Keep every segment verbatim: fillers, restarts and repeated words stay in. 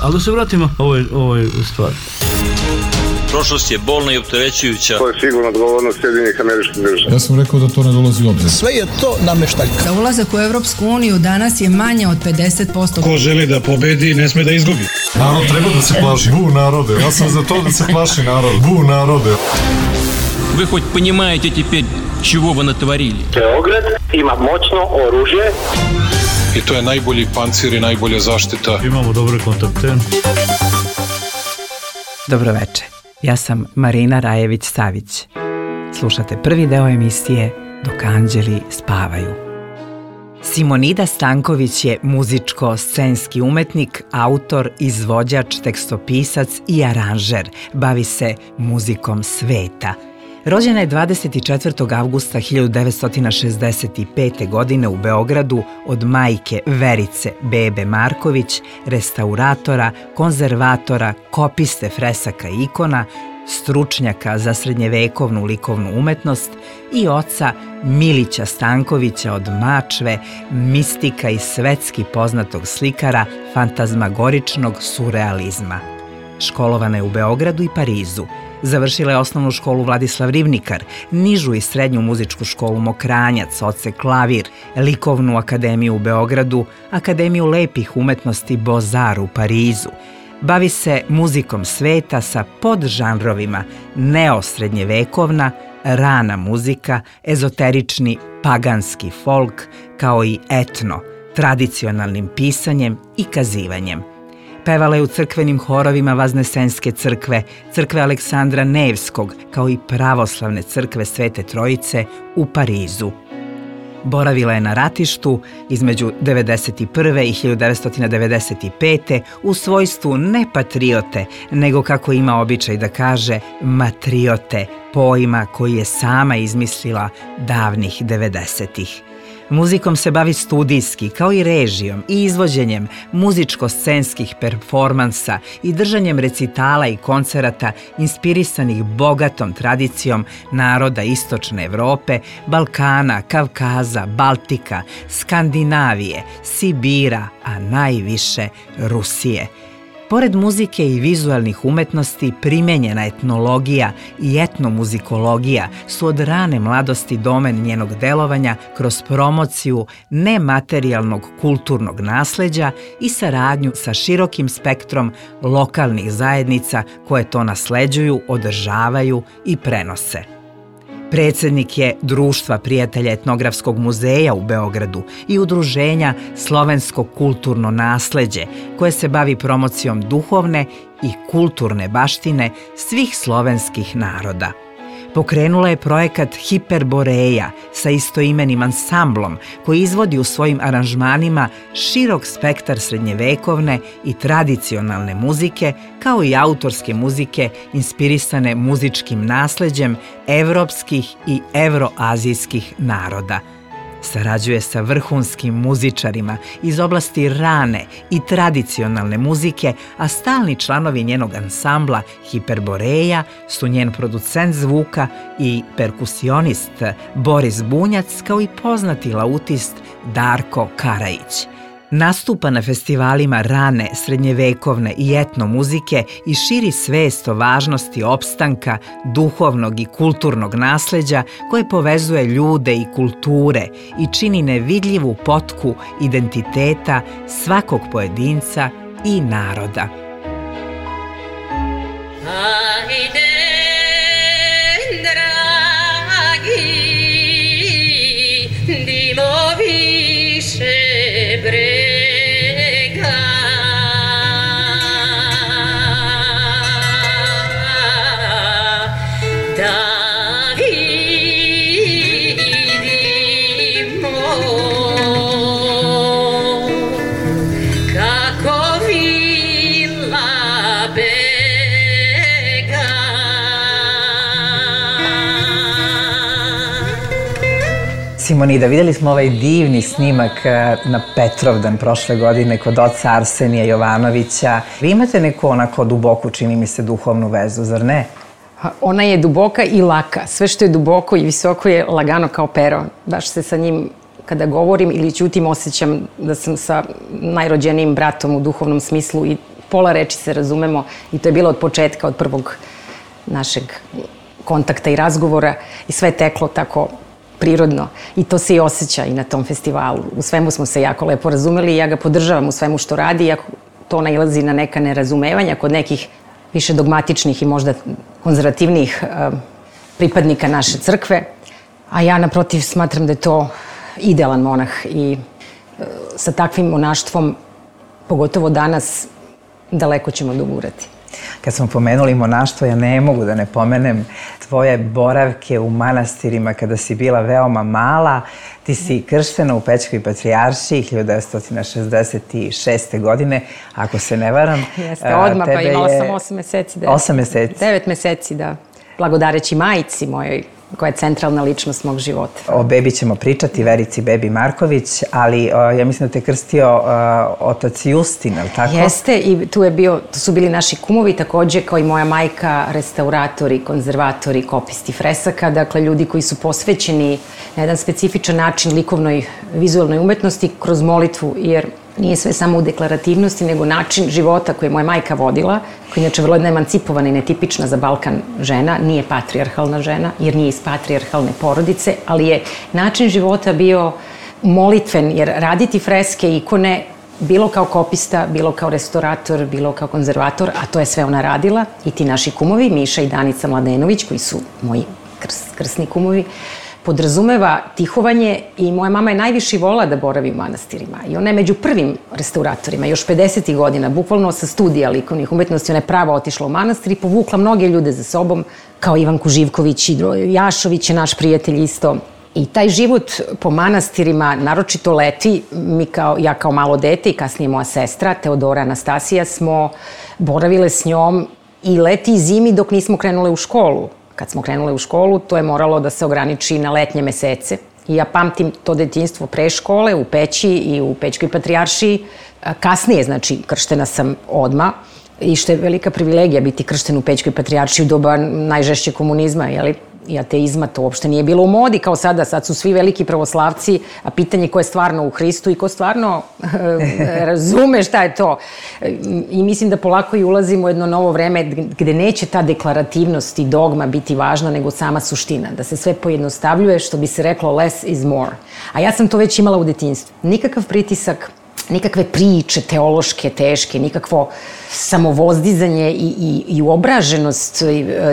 Ali da se vratimo ovoj, ovoj stvari. Prošlost je bolna i opterećujuća. To je sigurno odgovornost Sjedinjenih Američkih Država. Ja sam rekao da to ne dolazi u obzir. Sve je to nameštaljka. Da ulazak u Evropsku uniju danas je manje od pedeset posto. Ko želi da pobedi, ne sme da izgubi. Narod treba da se plaši. Bu narode. Ja sam za to da se plaši narod. Bu narode. Вы хоть понимаете теперь, чего вы натворили? Beograd ima moćno oružje. I to je najbolji pancir i najbolja zaštita. Imamo dobre kontakte. Dobroveče, ja sam Marina Rajević-Savić. Slušate prvi deo emisije Dok anđeli spavaju. Simonida Stanković je muzičko-scenski umetnik, autor, izvođač, tekstopisac i aranžer. Bavi se muzikom sveta. Rođena je dvadeset četvrtog avgusta hiljadu devetsto šezdeset pete. godine u Beogradu od majke Verice Bebe Marković, restauratora, konzervatora, kopiste fresaka i ikona, stručnjaka za srednjevekovnu likovnu umetnost i oca Milića Stankovića od Mačve, mistika i svetski poznatog slikara fantazmagoričnog surrealizma. Školovana je u Beogradu i Parizu. Završila je osnovnu školu Vladislav Rivnikar, nižu i srednju muzičku školu Mokranjac, odsek klavir, likovnu akademiju u Beogradu, Akademiju lepih umetnosti Beaux-Arts u Parizu. Bavi se muzikom sveta sa podžanrovima neosrednjevekovna, rana muzika, ezoterični paganski folk, kao i etno, tradicionalnim pisanjem i kazivanjem. Pevala je u crkvenim horovima Vaznesenske crkve, crkve Aleksandra Nevskog, kao i pravoslavne crkve Svete Trojice u Parizu. Boravila je na ratištu između devedeset prve i hiljadu devetsto devedeset pete. u svojstvu ne patriote, nego, kako ima običaj da kaže, matriote, pojma koji je sama izmislila davnih devedesetih. Muzikom se bavi studijski, kao i režijom i izvođenjem muzičko-scenskih performansa i držanjem recitala i koncerata inspirisanih bogatom tradicijom naroda Istočne Evrope, Balkana, Kavkaza, Baltika, Skandinavije, Sibira, a najviše Rusije. Pored muzike i vizualnih umetnosti, primenjena etnologija i etnomuzikologija su od rane mladosti domen njenog delovanja kroz promociju nematerijalnog kulturnog nasleđa i saradnju sa širokim spektrom lokalnih zajednica koje to nasleđuju, održavaju i prenose. Predsednik je Društva prijatelja etnografskog muzeja u Beogradu i udruženja Slovensko kulturno nasleđe, koje se bavi promocijom duhovne i kulturne baštine svih slovenskih naroda. Pokrenula je projekat Hiperboreja sa istoimenim ansamblom koji izvodi u svojim aranžmanima širok spektar srednjevekovne i tradicionalne muzike, kao i autorske muzike inspirisane muzičkim nasleđem evropskih i evroazijskih naroda. Sarađuje sa vrhunskim muzičarima iz oblasti rane i tradicionalne muzike, a stalni članovi njenog ansambla Hiperboreja su njen producent zvuka i perkusionist Boris Bunjac, kao i poznati lautist Darko Karajić. Nastupa na festivalima rane, srednjevekovne i etno muzike i širi svest o važnosti opstanka, duhovnog i kulturnog nasleđa koje povezuje ljude i kulture i čini nevidljivu potku identiteta svakog pojedinca i naroda. Ajde, dragi, dimo više bre. Simonida, vidjeli smo ovaj divni snimak na Petrovdan prošle godine kod oca Arsenija Jovanovića. Vi imate neku onako duboku, čini mi se, duhovnu vezu, zar ne? Ona je duboka i laka. Sve što je duboko i visoko je lagano kao pero. Baš se sa njim kada govorim ili ćutim, osjećam da sam sa najrođenijim bratom u duhovnom smislu i pola reči se razumemo i to je bilo od početka, od prvog našeg kontakta i razgovora i sve je teklo tako prirodno i to se i osjeća i na tom festivalu. U svemu smo se jako lepo razumeli i ja ga podržavam u svemu što radi, iako to nailazi na neka nerazumevanja kod nekih više dogmatičnih i možda konzervativnijih uh, pripadnika naše crkve, a ja naprotiv smatram da je to idealan monah i uh, sa takvim monaštvom, pogotovo danas, daleko ćemo dogurati. Kad smo pomenuli monaštvo, ja ne mogu da ne pomenem tvoje boravke u manastirima kada si bila veoma mala. Ti si krštena u Pećkoj patrijaršiji hiljadu devetsto šezdeset šeste. godine, ako se ne varam. Jeste, odmah, pa imala sam osam meseci. Osam meseci. Devet meseci, da. Blagodareći majici mojoj, koja je centralna ličnost mog života. O bebi ćemo pričati, Verici Bebi Marković, ali o, ja mislim da te krstio o, otac Justin, ali tako? Jeste, i tu, je bio, tu su bili naši kumovi, takođe kao i moja majka, restauratori, konzervatori, kopisti fresaka, dakle ljudi koji su posvećeni na jedan specifičan način likovnoj vizualnoj umetnosti kroz molitvu, jer nije sve samo u deklarativnosti, nego način života koji je moja majka vodila, koja je inače vrlo jedna emancipovana i netipična za Balkan žena, nije patrijarhalna žena, jer nije iz patrijarhalne porodice, ali je način života bio molitven, jer raditi freske, ikone, bilo kao kopista, bilo kao restaurator, bilo kao konzervator, a to je sve ona radila, i ti naši kumovi, Miša i Danica Mladenović, koji su moji krs, krsni kumovi, podrazumeva tihovanje i moja mama je najviše volila da boravi u manastirima. I ona je među prvim restauratorima, još pedesetih godina, bukvalno sa studija likovnih umetnosti, ona je pravo otišla u manastir i povukla mnoge ljude za sobom, kao Ivanku Živković i Jašović je naš prijatelj isto. I taj život po manastirima, naročito leti, mi kao, ja kao malo dete i kasnije moja sestra, Teodora Anastasija, smo boravile s njom i leti i zimi dok nismo krenule u školu. Kad smo krenule u školu, to je moralo da se ograniči na letnje mesece. I ja pamtim to detinjstvo pre škole, u Peći i u Pećkoj patrijaršiji. Kasnije, znači, krštena sam odmah. I što je velika privilegija biti kršten u Pećkoj patrijaršiji u doba najžešće komunizma, jeli? I ateizma, to uopšte nije bilo u modi kao sada. Sad su svi veliki pravoslavci, a pitanje ko je stvarno u Hristu i ko stvarno razume šta je to. I mislim da polako i ulazimo u jedno novo vreme gde neće ta deklarativnost i dogma biti važna, nego sama suština. Da se sve pojednostavljuje, što bi se reklo less is more. A ja sam to već imala u detinjstvu. Nikakav pritisak, nikakve priče teološke, teške, nikakvo samovozdizanje i, i, i uobraženost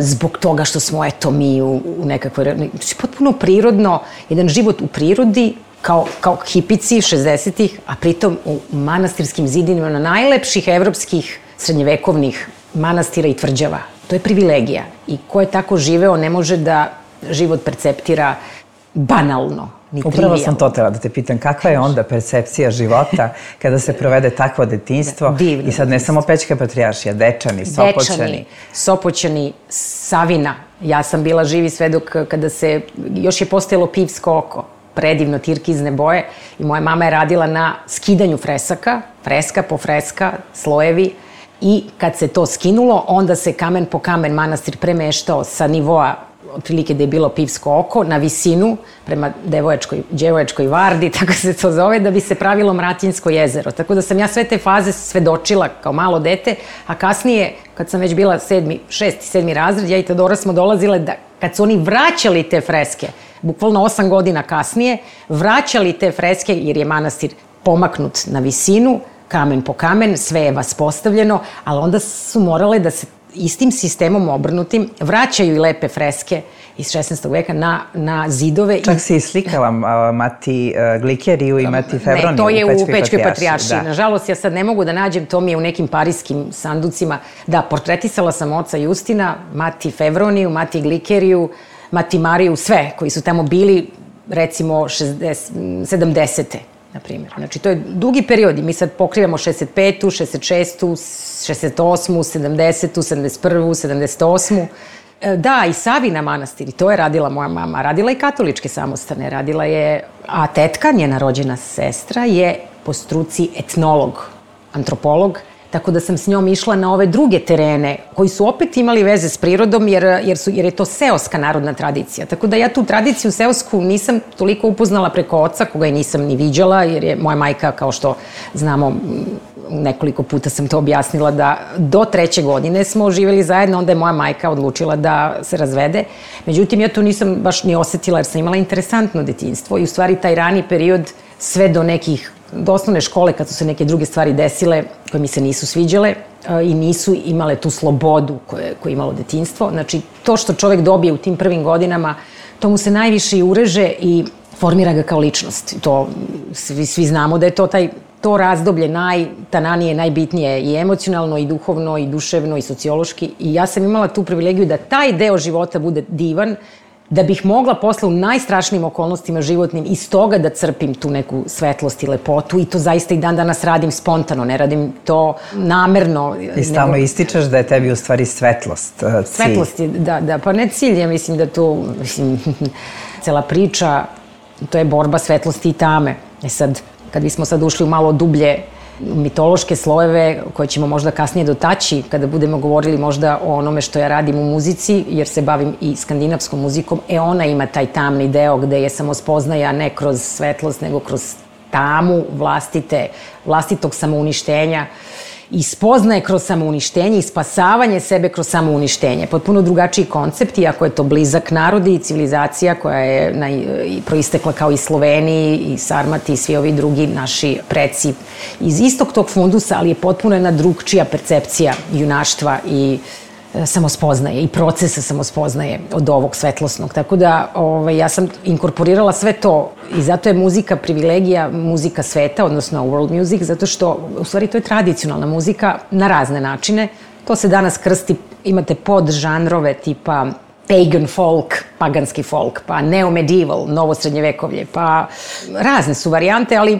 zbog toga što smo, eto, mi u, u nekakvoj... Potpuno prirodno, jedan život u prirodi, kao, kao hipici šezdesetih, a pritom u manastirskim zidinima na najlepših evropskih srednjevekovnih manastira i tvrđava. To je privilegija. I ko je tako živeo ne može da život perceptira banalno. Upravo sam to tela da te pitam, kakva je onda percepcija života kada se provede takvo detinjstvo? Divno. I sad ne samo Pećka patrijaršija, Dečani, Sopoćani. Dečani, Sopoćani, Savina. Ja sam bila živi svedok kada se, još je postojalo pivsko oko, predivno tirkizne boje, i moja mama je radila na skidanju fresaka, freska po freska, slojevi, i kad se to skinulo, onda se kamen po kamen manastir premeštao sa nivoa, otprilike da je bilo pivsko oko, na visinu, prema Devojačkoj, Đevojačkoj vardi, tako se to zove, da bi se pravilo Mratinjsko jezero. Tako da sam ja sve te faze svedočila kao malo dete, a kasnije, kad sam već bila sedmi, šesti, sedmi razred, ja i Teodora smo dolazile da, kad su oni vraćali te freske, bukvalno osam godina kasnije, vraćali te freske, jer je manastir pomaknut na visinu, kamen po kamen, sve je vaspostavljeno, ali onda su morale da se istim sistemom obrnutim vraćaju i lepe freske iz šesnaestog veka na, na zidove. Čak si i slikala Mati Glikeriju i Mati Fevroniju ne, to je u Pećkoj, u Pećkoj patrijaršiji. Da. Nažalost, ja sad ne mogu da nađem, to mi je u nekim parijskim sanducima. Da, portretisala sam oca Justina, Mati Fevroniju, Mati Glikeriju, Mati Mariju, sve koji su tamo bili, recimo, sedamdesete. Na primjer. Znači, to je dugi period i mi sad pokrivamo šezdeset petu, šezdeset šestu, šezdeset osmu, sedamdesetu, sedamdeset prvu, sedamdeset osmu. Da, i Savina manastir, i to je radila moja mama. Radila i katoličke samostane, radila je... A tetka, njena rođena sestra, je po struci etnolog, antropolog, Tako da sam s njom išla na ove druge terene koji su opet imali veze s prirodom jer, jer, su, jer je to seoska narodna tradicija. Tako da ja tu tradiciju seosku nisam toliko upoznala preko oca, koga i nisam ni viđala, jer je moja majka, kao što znamo, nekoliko puta sam to objasnila, da do treće godine smo živjeli zajedno, onda je moja majka odlučila da se razvede. Međutim, ja to nisam baš ni osetila jer sam imala interesantno detinjstvo i u stvari taj rani period sve do nekih, do osnovne škole kad su se neke druge stvari desile koje mi se nisu sviđale i nisu imale tu slobodu koje, koje je imalo detinjstvo. Znači, to što čovek dobije u tim prvim godinama, to mu se najviše i ureže i formira ga kao ličnost. To, svi, svi znamo da je to taj to razdoblje najtananije, najbitnije i emocionalno, i duhovno, i duševno, i sociološki. I ja sam imala tu privilegiju da taj deo života bude divan, da bih mogla posle u najstrašnijim okolnostima životnim iz toga da crpim tu neku svetlost i lepotu i to zaista i dan danas radim spontano, ne radim to namerno. I stalno nego... ističeš da je tebi u stvari svetlost cilj. Svetlost je, da, da, pa ne cilj, ja mislim da to, mislim, cela priča, to je borba svetlosti i tame. E sad, kad bismo sad ušli u malo dublje mitološke slojeve koje ćemo možda kasnije dotaći kada budemo govorili možda o onome što ja radim u muzici, jer se bavim i skandinavskom muzikom, e ona ima taj tamni deo gde je samospoznaja ne kroz svetlost, nego kroz tamu vlastite, vlastitog samouništenja i spoznaje kroz samouništenje i spasavanje sebe kroz samouništenje. Potpuno drugačiji koncept, iako je to blizak narodi i civilizacija koja je naj, proistekla kao i Sloveniji i Sarmati i svi ovi drugi naši preci iz istog tog fundusa, ali je potpuno jedna drugčija percepcija junaštva i samospoznaje i procesa samospoznaje od ovog svetlosnog. Tako da ovaj, ja sam inkorporirala sve to i zato je muzika privilegija, muzika sveta, odnosno world music, zato što u stvari to je tradicionalna muzika na razne načine. To se danas krsti, imate podžanrove tipa pagan folk, paganski folk, pa neo-medieval, novo srednjevekovlje, pa razne su varijante, ali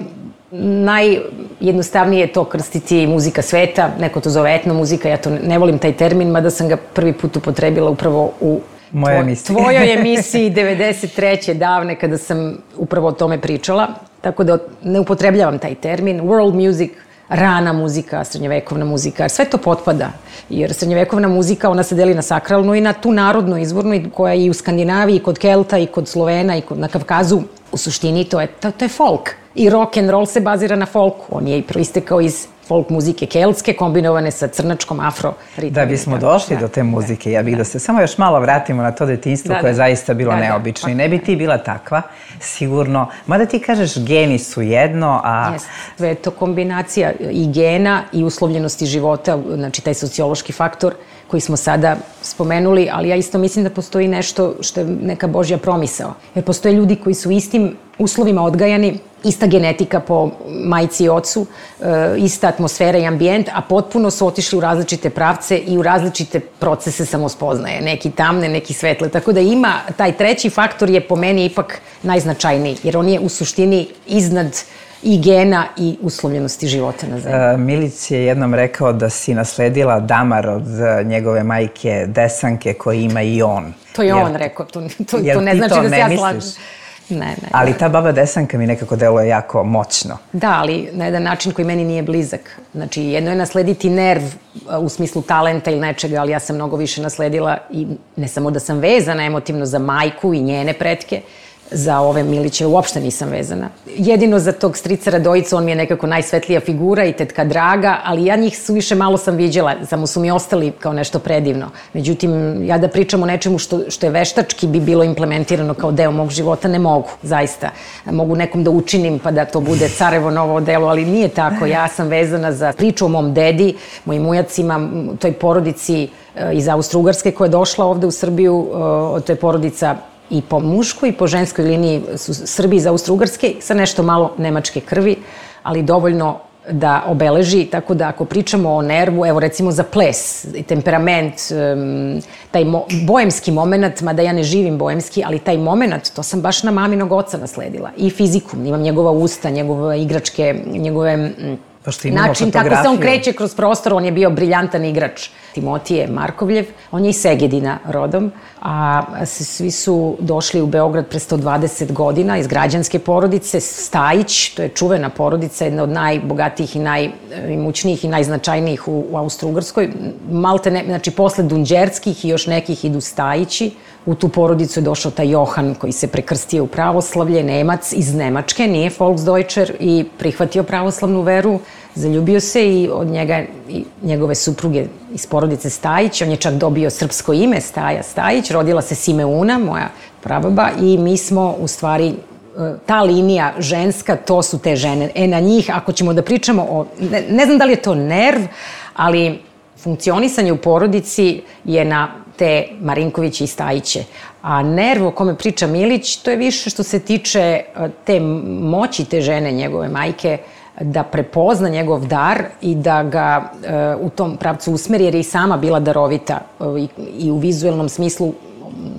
najjednostavnije je to krstiti muzika sveta, neko to zove etno muzika, ja to ne volim taj termin, mada sam ga prvi put upotrebila upravo u Moja emisija. tvojoj emisiji devedeset treće davne kada sam upravo o tome pričala, tako da ne upotrebljavam taj termin. World music, rana muzika, srednjevekovna muzika, sve to potpada, jer srednjevekovna muzika, ona se deli na sakralnu i na tu narodnu izvornu, koja je i u Skandinaviji, i kod Kelta, i kod Slovena, i kod, na Kavkazu. U suštini to je, to, to je folk. I rock and roll se bazira na folku. On je i proistekao iz folk muzike keltske, kombinovane sa crnačkom afro ritmom. Da bismo došli da, do te muzike, ja bih da. da se samo još malo vratimo na to detinjstvo da, koje je da. zaista bilo da, neobično. Da. I ne bi ti bila takva, sigurno. Mada ti kažeš geni su jedno, a... Jeste. Sve je to kombinacija i gena i uslovljenosti života, znači taj sociološki faktor koji smo sada spomenuli, ali ja isto mislim da postoji nešto što je neka Božja promisao. Jer postoje ljudi koji su istim uslovima odgajani, ista genetika po majci i ocu, ista atmosfera i ambijent, a potpuno su otišli u različite pravce i u različite procese samospoznaje. Neki tamne, neki svetle. Tako da ima, taj treći faktor je po meni ipak najznačajniji, jer on je u suštini iznad i gena i uslovljenosti života na zemlji. E, Milić je jednom rekao da si nasledila damar od njegove majke Desanke koji ima i on. To je on rekao, to, to, to ne znači da se ja slažem. Ne, ne. Ali ta baba Desanka mi nekako deluje jako moćno. Da, ali na jedan način koji meni nije blizak. Znači, jedno je naslediti nerv u smislu talenta ili nečega, ali ja sam mnogo više nasledila i ne samo da sam vezana emotivno za majku i njene pretke, za ove Miliće uopšte nisam vezana. Jedino za tog strica Radojicu, on mi je nekako najsvetlija figura i tetka Draga, ali ja njih suviše malo sam viđela, samo su mi ostali kao nešto predivno. Međutim, ja da pričam o nečemu što, što je veštački bi bilo implementirano kao deo mog života, ne mogu, zaista. Mogu nekom da učinim pa da to bude carevo novo delo, ali nije tako. Ja sam vezana za priču o mom dedi, mojim ujacima, toj porodici iz Austro-Ugarske koja je došla ovde u Srbiju, to je porodica i po muškoj i po ženskoj liniji su Srbi iz Austro-Ugarske sa nešto malo nemačke krvi, ali dovoljno da obeleži, tako da ako pričamo o nervu, evo recimo za ples, temperament, taj mo, bojemski moment, mada ja ne živim bojemski, ali taj moment, to sam baš na maminog oca nasledila. I fiziku, imam njegova usta, njegove igračke, njegove način kako se on kreće kroz prostor, on je bio briljantan igrač. Timotije Markovljev, on je iz Segedina rodom, a svi su došli u Beograd pre sto dvadeset godina iz građanske porodice. Stajić, to je čuvena porodica, jedna od najbogatijih i najimućnijih i najznačajnijih u, u Austro-Ugrskoj. Malte ne, znači posle Dunđerskih i još nekih idu Stajići. U tu porodicu je došao taj Johan koji se prekrstio u pravoslavlje, Nemac iz Nemačke, nije Volksdeutscher, i prihvatio pravoslavnu veru, zaljubio se i od njega i njegove supruge iz porodice Stajić. On je čak dobio srpsko ime, Staja Stajić, rodila se Simeuna, moja prababa, i mi smo u stvari ta linija ženska, to su te žene. E, na njih, ako ćemo da pričamo o, ne, ne znam da li je to nerv, ali funkcionisanje u porodici je na te Marinkoviće i Stajiće. A nerv o kome priča Milić, to je više što se tiče te moći te žene, njegove majke, da prepozna njegov dar i da ga e, u tom pravcu usmeri, jer je i sama bila darovita e, i, i u vizuelnom smislu.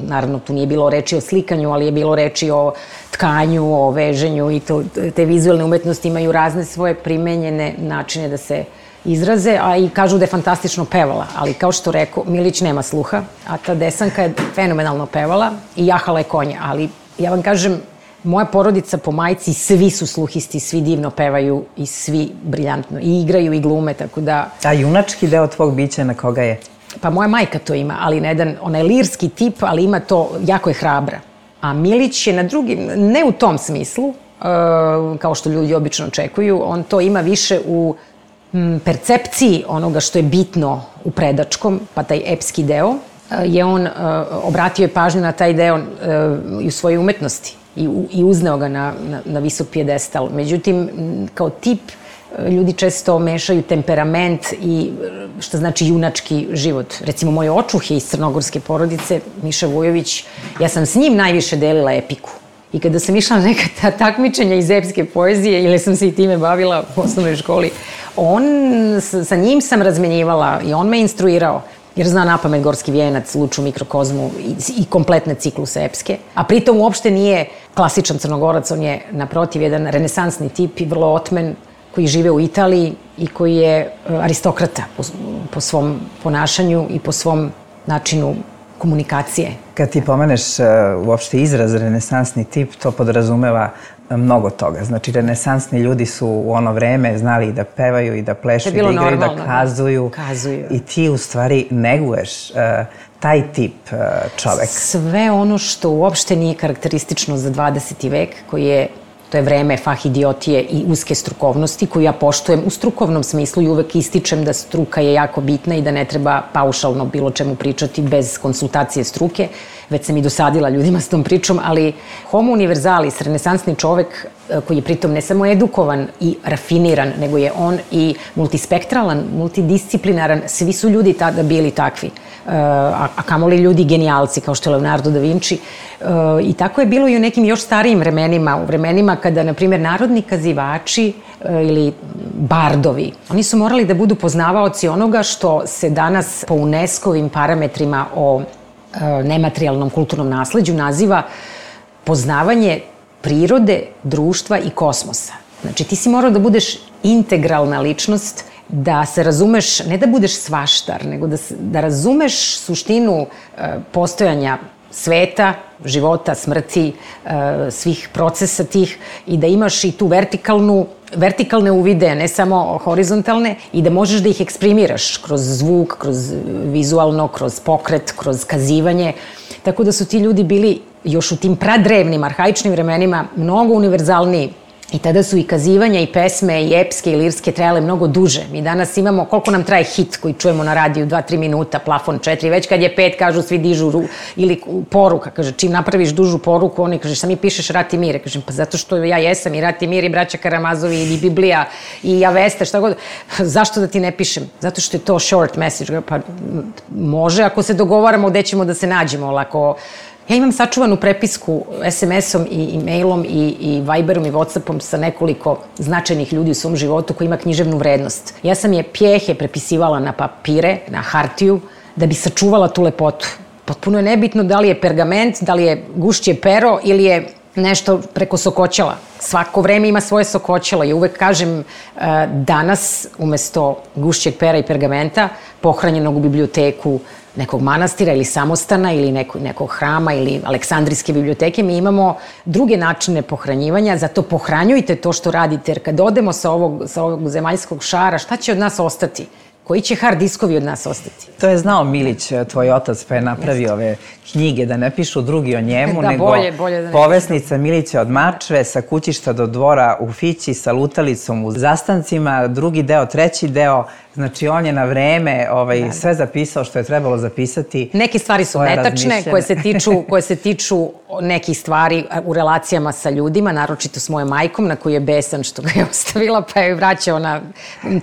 Naravno, tu nije bilo reči o slikanju, ali je bilo reči o tkanju, o veženju, i to, te vizuelne umetnosti imaju razne svoje primenjene načine da se izraze, a i kažu da je fantastično pevala, ali kao što rekao, Milić nema sluha, a ta Desanka je fenomenalno pevala i jahala je konja, ali ja vam kažem, moja porodica po majci, svi su sluhisti, svi divno pevaju i svi briljantno i igraju i glume, tako da... A junački deo tvog bića na koga je? Pa moja majka to ima, ali na jedan, ona je lirski tip, ali ima to, jako je hrabra. A Milić je na drugi, ne u tom smislu, kao što ljudi obično očekuju, on to ima više u percepciji onoga što je bitno u predačkom, pa taj epski deo, je on obratio je pažnju na taj deo i u svojoj umetnosti i, i uzneo ga na, na, na visok pijedestal. Međutim, kao tip, ljudi često mešaju temperament i šta znači junački život. Recimo, moj očuh je iz crnogorske porodice, Miša Vujović, ja sam s njim najviše delila epiku. I kada sam išla na neka ta takmičenja iz epske poezije, ili sam se i time bavila u osnovnoj školi, on, sa njim sam razmenjivala i on me instruirao, jer zna napamet Gorski vijenac, Luču mikrokozmu i, i kompletne cikluse epske. A pritom uopšte nije klasičan Crnogorac, on je naprotiv jedan renesansni tip i vrlo otmen, koji žive u Italiji i koji je aristokrata po, po svom ponašanju i po svom načinu komunikacije. Kad ti pomeneš uh, uopšte izraz renesansni tip, to podrazumeva mnogo toga. Znači, renesansni ljudi su u ono vreme znali da pevaju i da plešu, i da igraju, normalno, da kazuju. kazuju. I ti u stvari neguješ uh, taj tip uh, čoveka. Sve ono što uopšte nije karakteristično za dvadeseti vek, koji je, to je vreme fahidiotije i uske strukovnosti, koju ja poštujem u strukovnom smislu i uvek ističem da struka je jako bitna i da ne treba paušalno bilo čemu pričati bez konsultacije struke. Već sam i dosadila ljudima s tom pričom, ali homo universalis, renesansni čovek koji je pritom ne samo edukovan i rafiniran, nego je on i multispektralan, multidisciplinaran. Svi su ljudi tada bili takvi, a, a kamoli ljudi genijalci kao što je Leonardo da Vinci. I tako je bilo i u nekim još starijim vremenima, u vremenima kada, na primjer, narodni kazivači ili bardovi, oni su morali da budu poznavaoci onoga što se danas po UNESCO-vim parametrima o nematerijalnom kulturnom nasleđu naziva poznavanje prirode, društva i kosmosa. Znači, ti si morao da budeš integralna ličnost, da se razumeš, ne da budeš svaštar, nego da, da razumeš suštinu e, postojanja sveta, života, smrti, e, svih procesa tih, i da imaš i tu vertikalnu, vertikalne uvide, ne samo horizontalne, i da možeš da ih eksprimiraš kroz zvuk, kroz vizualno, kroz pokret, kroz kazivanje. Tako da su ti ljudi bili još u tim pradrevnim, arhaičnim vremenima mnogo univerzalniji. I tada su i kazivanja, i pesme, i epske, i lirske trajale mnogo duže. Mi danas imamo, koliko nam traje hit koji čujemo na radiju, dva, tri minuta, plafon četiri, već kad je pet, kažu svi dižu, ru, ili poruka, kaže, čim napraviš dužu poruku, oni kaže, šta mi pišeš Rat i mir? Kažem, pa zato što ja jesam i Rat i mir, i Braća Karamazovi, i Biblija, i Avesta, šta god. Zašto da ti ne pišem? Zato što je to short message. Pa može ako se dogovaramo gde ćemo da se nađemo, ali ako... Ja imam sačuvanu prepisku es em esom i e-mailom i, i Viberom i Whatsappom sa nekoliko značajnih ljudi u svom životu koji ima književnu vrednost. Ja sam je pjehe prepisivala na papire, na hartiju, da bi sačuvala tu lepotu. Potpuno je nebitno da li je pergament, da li je gušće pero ili je nešto preko Sokoćela. Svako vreme ima svoje Sokoćelo i uvek kažem danas umesto gušćeg pera i pergamenta pohranjenog u biblioteku nekog manastira ili samostana ili nekog, nekog hrama ili Aleksandrijske biblioteke, mi imamo druge načine pohranjivanja, zato pohranjujte to što radite, jer kad odemo sa ovog, sa ovog zemaljskog šara, šta će od nas ostati? Koji će hard diskovi od nas ostati? To je znao Milić, tvoj otac, pa je napravio ove knjige da ne pišu drugi o njemu, da, nego bolje, bolje da povesnica Milića od Mačve, sa kućišta do dvora u Fići, sa lutalicom u Zastancima, drugi deo, treći deo. Znači, on je na vreme ovaj, da, sve zapisao što je trebalo zapisati. Neke stvari su netačne koje se, tiču, koje se tiču nekih stvari u relacijama sa ljudima, naročito s mojom majkom, na koju je besan što ga je ostavila, pa je vraćao na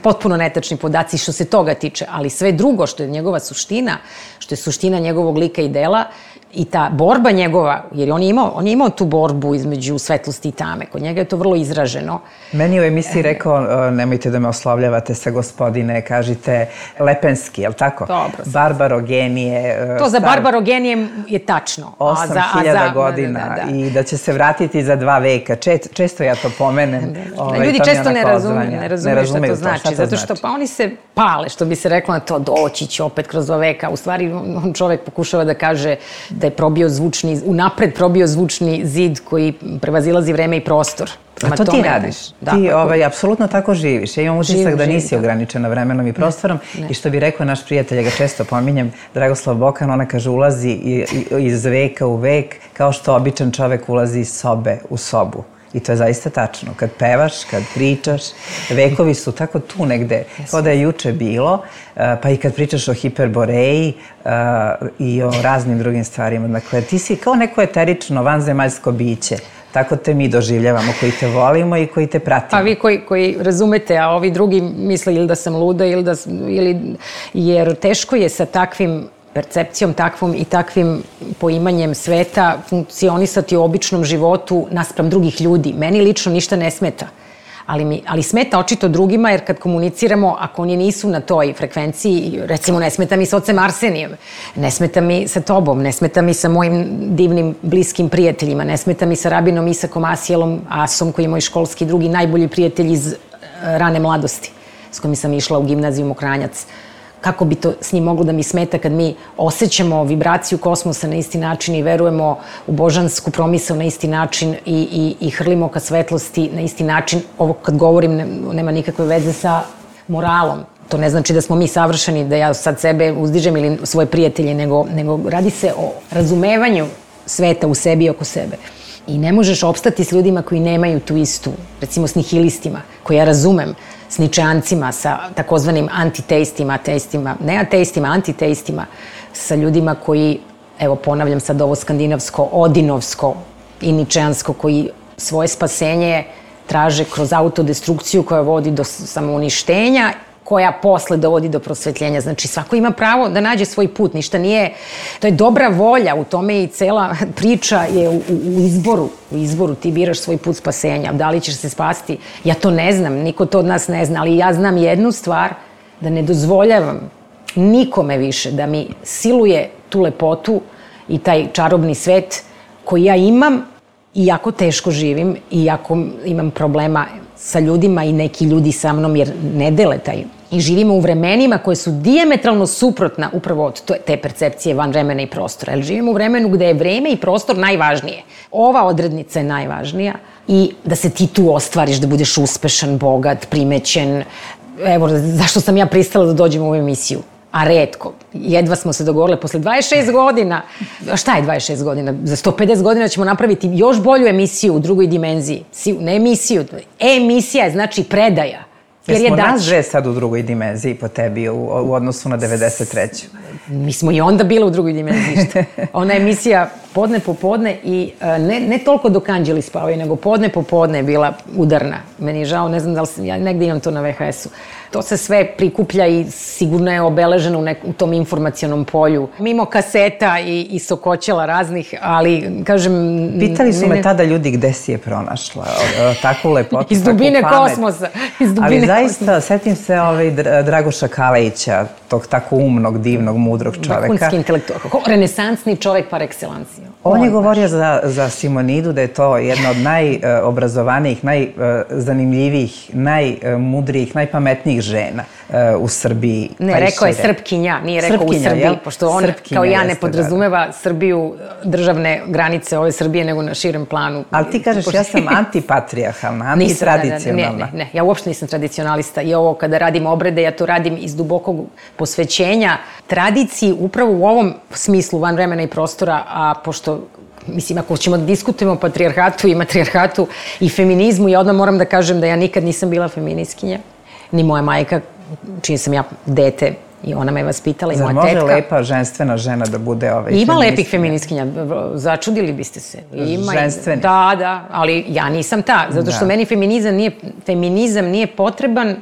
potpuno netačni podaci što se toga tiče. Ali sve drugo što je njegova suština, što je suština njegovog lika i dela, i ta borba njegova, jer on je imao, on je imao tu borbu između svetlosti i tame. Kod njega je to vrlo izraženo. Meni u emisiji rekao, nemojte da me oslovljavate sa gospodine, kažite Lepenski, je li tako? Dobro. Barbarogenije. To za Barbarogenije je tačno. osam hiljada godina da, da, da. I da će se vratiti za dva veka. Čet, često ja to pomenem. Da, da. Ovaj, Ljudi često ne razumeju, ne razumeju, ne razumeju šta to znači. Šta to zato što znači? Pa oni se pale, što bi se reklo na to, doći će opet kroz dva veka. U stvari, on čovek pokušava da kaže da je probio zvučni, unapred probio zvučni zid koji prevazilazi vreme i prostor. A to ti radiš. Da, ti ovaj, apsolutno tako živiš. Ja imam utisak da nisi ograničena vremenom i prostorom. Ne. I što bi rekao naš prijatelj, ja ga često pominjem, Dragoslav Bokan, ona kaže ulazi iz veka u vek kao što običan čovek ulazi iz sobe u sobu. I to je zaista tačno. Kad pevaš, kad pričaš, vekovi su tako tu negde, kao da je juče bilo, pa i kad pričaš o Hiperboreji i o raznim drugim stvarima. Dakle, ti si kao neko eterično, vanzemaljsko biće. Tako te mi doživljavamo, koji te volimo i koji te pratimo. A vi koji, koji razumete, a ovi drugi misle ili da sam luda, ili da, ili, jer teško je sa takvim percepcijom takvom i takvim poimanjem sveta funkcionisati u običnom životu naspram drugih ljudi. Meni lično ništa ne smeta. Ali, mi, ali smeta očito drugima, jer kad komuniciramo, ako oni nisu na toj frekvenciji, recimo ne smeta mi sa ocem Arsenijem, ne smeta mi sa tobom, ne smeta mi sa mojim divnim, bliskim prijateljima, ne smeta mi sa rabinom Isakom Asijelom Asom, koji je moj školski drugi najbolji prijatelj iz rane mladosti, s kojim sam išla u gimnaziju Mokranjac. Kako bi to s njim moglo da mi smeta kad mi osjećamo vibraciju kosmosa na isti način i verujemo u božansku promisao na isti način i, i, i hrlimo ka svetlosti na isti način. Ovo kad govorim ne, nema nikakve veze sa moralom. To ne znači da smo mi savršeni, da ja sad sebe uzdižem ili svoje prijatelje, nego, nego radi se o razumevanju sveta u sebi i oko sebe. I ne možeš opstati s ljudima koji nemaju tu istu, recimo s nihilistima, koje ja razumem, s ničeancima, sa takozvanim antiteistima, ateistima, ne ateistima, antiteistima, sa ljudima koji, evo ponavljam sad ovo skandinavsko, odinovsko i ničeansko, koji svoje spasenje traže kroz autodestrukciju koja vodi do samouništenja, koja posle dovodi do prosvetljenja. Znači, svako ima pravo da nađe svoj put. Ništa nije... To je dobra volja, u tome i cela priča je u, u izboru. U izboru ti biraš svoj put spasenja. Da li ćeš se spasti? Ja to ne znam, niko to od nas ne zna, ali ja znam jednu stvar, da ne dozvoljavam nikome više da mi siluje tu lepotu i taj čarobni svet koji ja imam i jako teško živim i jako imam problema sa ljudima i neki ljudi sa mnom jer ne dele taj. I živimo u vremenima koje su dijametralno suprotna upravo od te percepcije van vremena i prostora. Jer živimo u vremenu gde je vreme i prostor najvažnije. Ova odrednica je najvažnija i da se ti tu ostvariš, da budeš uspešan, bogat, primećen. Evo, zašto sam ja pristala da dođem u ovu emisiju? A retko. Jedva smo se dogovorile posle dvadeset šest godina. A šta je dvadeset šest godina? Za sto pedeset godina ćemo napraviti još bolju emisiju u drugoj dimenziji. Ne emisiju. E-emisija je znači predaja. Jer je nas dve sad u drugoj dimenziji po tebi u, u odnosu na devedeset treću Mi smo i onda bile u drugoj dimenziji. Ona emisija podne popodne i ne, ne toliko dok anđeli spavaju, nego podne popodne je bila udarna. Meni je žao, ne znam da li sam, ja negde imam to na ve ha esu. To se sve prikuplja i sigurno je obeleženo u, nek, u tom informacionom polju. Mimo kaseta i, i sokoćela raznih, ali kažem... Pitali su me tada ljudi gde si je pronašla takvu lepotu, iz dubine kosmosa. Iz dubine ali zaista, kosmosa. Setim se ovaj Dragoša Kalejića, tog tako umnog, divnog, mudrog čoveka. Vrhunski intelektualac, renesansni čovek par excellence. On je govorio za, za Simonidu da je to jedna od najobrazovanijih, najzanimljivijih, najmudrijih, najpametnijih žena u Srbiji. Ne, rekao je Srpkinja, nije rekao u Srbiji, pošto on kao ja ne podrazumeva Srbiju, državne granice ove Srbije, nego na širem planu. Ali ti kažeš, ja sam antipatrijarhalna, antitradicionalna. Ne, ne, ja uopšte nisam tradicionalista i ovo kada radim obrede, ja to radim iz dubokog posvećenja tradiciji upravo u ovom smislu van vremena i prostora, a pošto mislim, ako ćemo da diskutujemo o patrijarhatu i matrijarhatu i feminizmu, ja odmah moram da kažem da ja nikad nisam bila feminiskinja, ni moja majka, čiji sam ja dete i ona me je vaspitala i moja tetka. Zar može lepa ženstvena žena da bude ovaj feministkinja? Ima lepih feministkinja, začudili biste se. Ženstveni? Da, da, ali ja nisam ta, zato što meni feminizam nije, feminizam nije potreban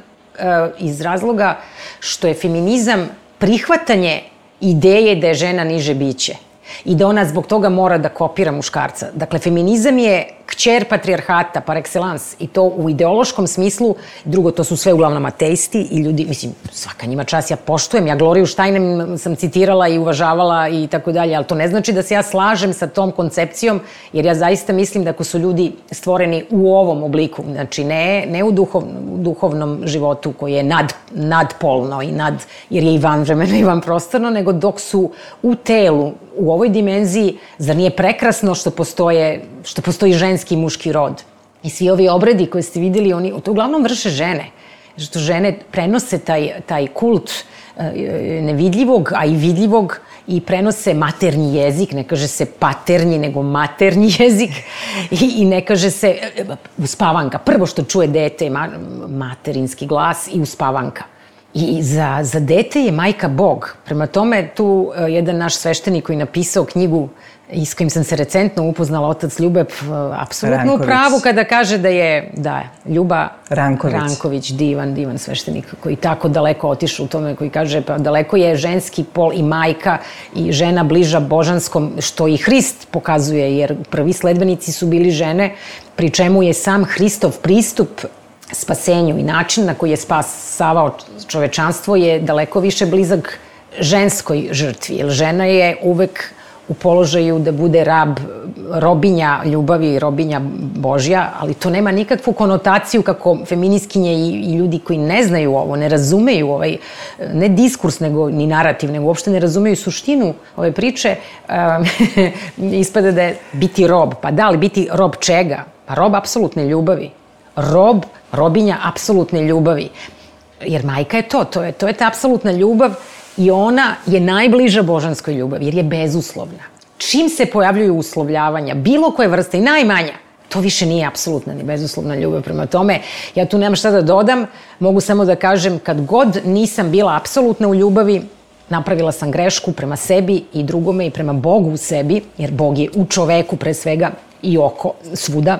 iz razloga što je feminizam prihvatanje ideje da je žena niže biće i da ona zbog toga mora da kopira muškarca. Dakle, feminizam je kćer patrijarhata par excellence i to u ideološkom smislu. Drugo, to su sve uglavnom ateisti i ljudi, mislim, svaka njima čast, ja poštujem, ja Gloriju Štajnem sam citirala i uvažavala i tako dalje, ali to ne znači da se ja slažem sa tom koncepcijom, jer ja zaista mislim da ako su ljudi stvoreni u ovom obliku, znači ne, ne u, duhov, u duhovnom životu koji je nad, nadpolno i nad, jer je i vanvremeno i vanprostorno, nego dok su u telu, u ovoj dimenziji, zar nije prekrasno što postoje, što postoji ženski i muški rod? I svi ovi obredi koje ste videli, oni to uglavnom vrše žene. Što žene prenose taj, taj kult nevidljivog, a i vidljivog i prenose maternji jezik, ne kaže se paternji, nego maternji jezik i, i ne kaže se uspavanka. Prvo što čuje dete je materinski glas i uspavanka. I za, za dete je majka Bog. Prema tome, tu jedan naš sveštenik koji je napisao knjigu i s kojim sam se recentno upoznala, otac Ljubeb, apsolutno u pravu kada kaže da je, da, Ljuba Ranković. Ranković, divan, divan sveštenik koji tako daleko otišu u tome, koji kaže pa daleko je ženski pol i majka i žena bliža božanskom, što i Hrist pokazuje, jer prvi sledbenici su bili žene, pri čemu je sam Hristov pristup spasenju i način na koji je spasavao čovečanstvo je daleko više blizak ženskoj žrtvi, jer žena je uvek u položaju da bude rab, robinja ljubavi, robinja Božja, ali to nema nikakvu konotaciju kako feminiskinje i, i ljudi koji ne znaju ovo, ne razumeju ovaj, ne diskurs, nego ni narativ, nego uopšte ne razumeju suštinu ove priče, um, ispada da je biti rob. Pa da, ali biti rob čega? Pa rob apsolutne ljubavi. Rob, robinja apsolutne ljubavi. Jer majka je to, to je, to je ta apsolutna ljubav i ona je najbliža božanskoj ljubavi, jer je bezuslovna. Čim se pojavljuju uslovljavanja, bilo koje vrste i najmanja, to više nije apsolutna ni bezuslovna ljubav. Prema tome, ja tu nemam šta da dodam, mogu samo da kažem, kad god nisam bila apsolutna u ljubavi, napravila sam grešku prema sebi i drugome i prema Bogu u sebi, jer Bog je u čoveku pre svega i oko svuda,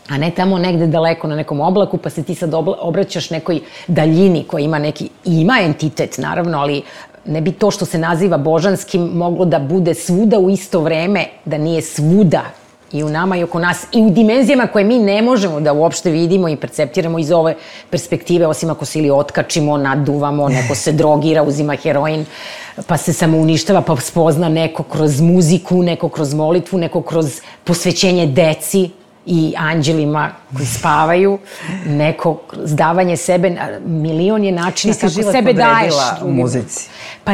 a ne tamo negde daleko na nekom oblaku, pa se ti sad obraćaš nekoj daljini koja ima neki, ima entitet naravno, ali ne bi to što se naziva božanskim moglo da bude svuda u isto vreme, da nije svuda i u nama i oko nas i u dimenzijama koje mi ne možemo da uopšte vidimo i perceptiramo iz ove perspektive, osim ako se ili otkačimo, naduvamo, neko se drogira, uzima heroin, pa se samo uništava, pa spozna neko kroz muziku, neko kroz molitvu, neko kroz posvećenje deci i anđelima koji spavaju, neko zdavanje sebe, milion je načina kako sebe daješ. Ti si život podredila u muzici. Pa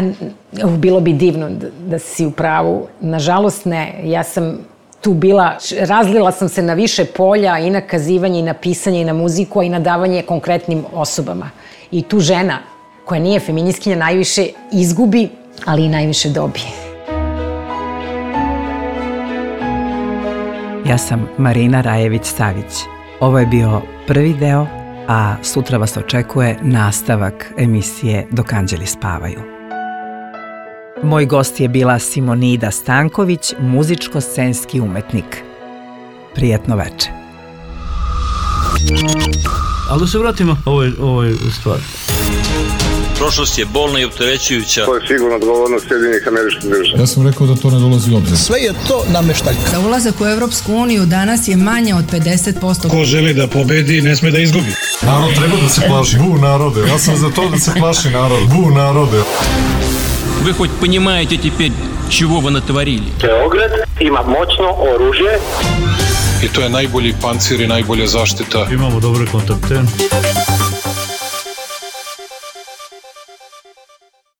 bilo bi divno da, da si u pravu. Nažalost ne, ja sam tu bila, razlila sam se na više polja i na kazivanje i na pisanje i na muziku, a i na davanje konkretnim osobama. I tu žena koja nije feministkinja najviše izgubi, ali i najviše dobije. Ja sam Marina Rajević-Savić. Ovo je bio prvi deo, a sutra vas očekuje nastavak emisije Dok anđeli spavaju. Moj gost je bila Simonida Stanković, muzičko-scenski umetnik. Prijetno veče. Ali da se vratimo ovoj, ovoj stvari. Prošlost je bolna i opterećujuća. To je sigurno odgovornost Sjedinjenih Američkih Država. Ja sam rekao da to ne dolazi u obzir. Sve je to nameštaljka. Za ulazak u Evropsku uniju danas je manje od pedeset posto. Ko želi da pobedi, ne sme da izgubi. Narod treba da se plaši. Bu narode. Ja sam za to da se plaši narod. Bu narode. Вы хоть понимаете теперь, чего вы натворили. Beograd ima moćno oružje. I to je najbolji pancir i najbolja zaštita. Imamo dobre kontakte.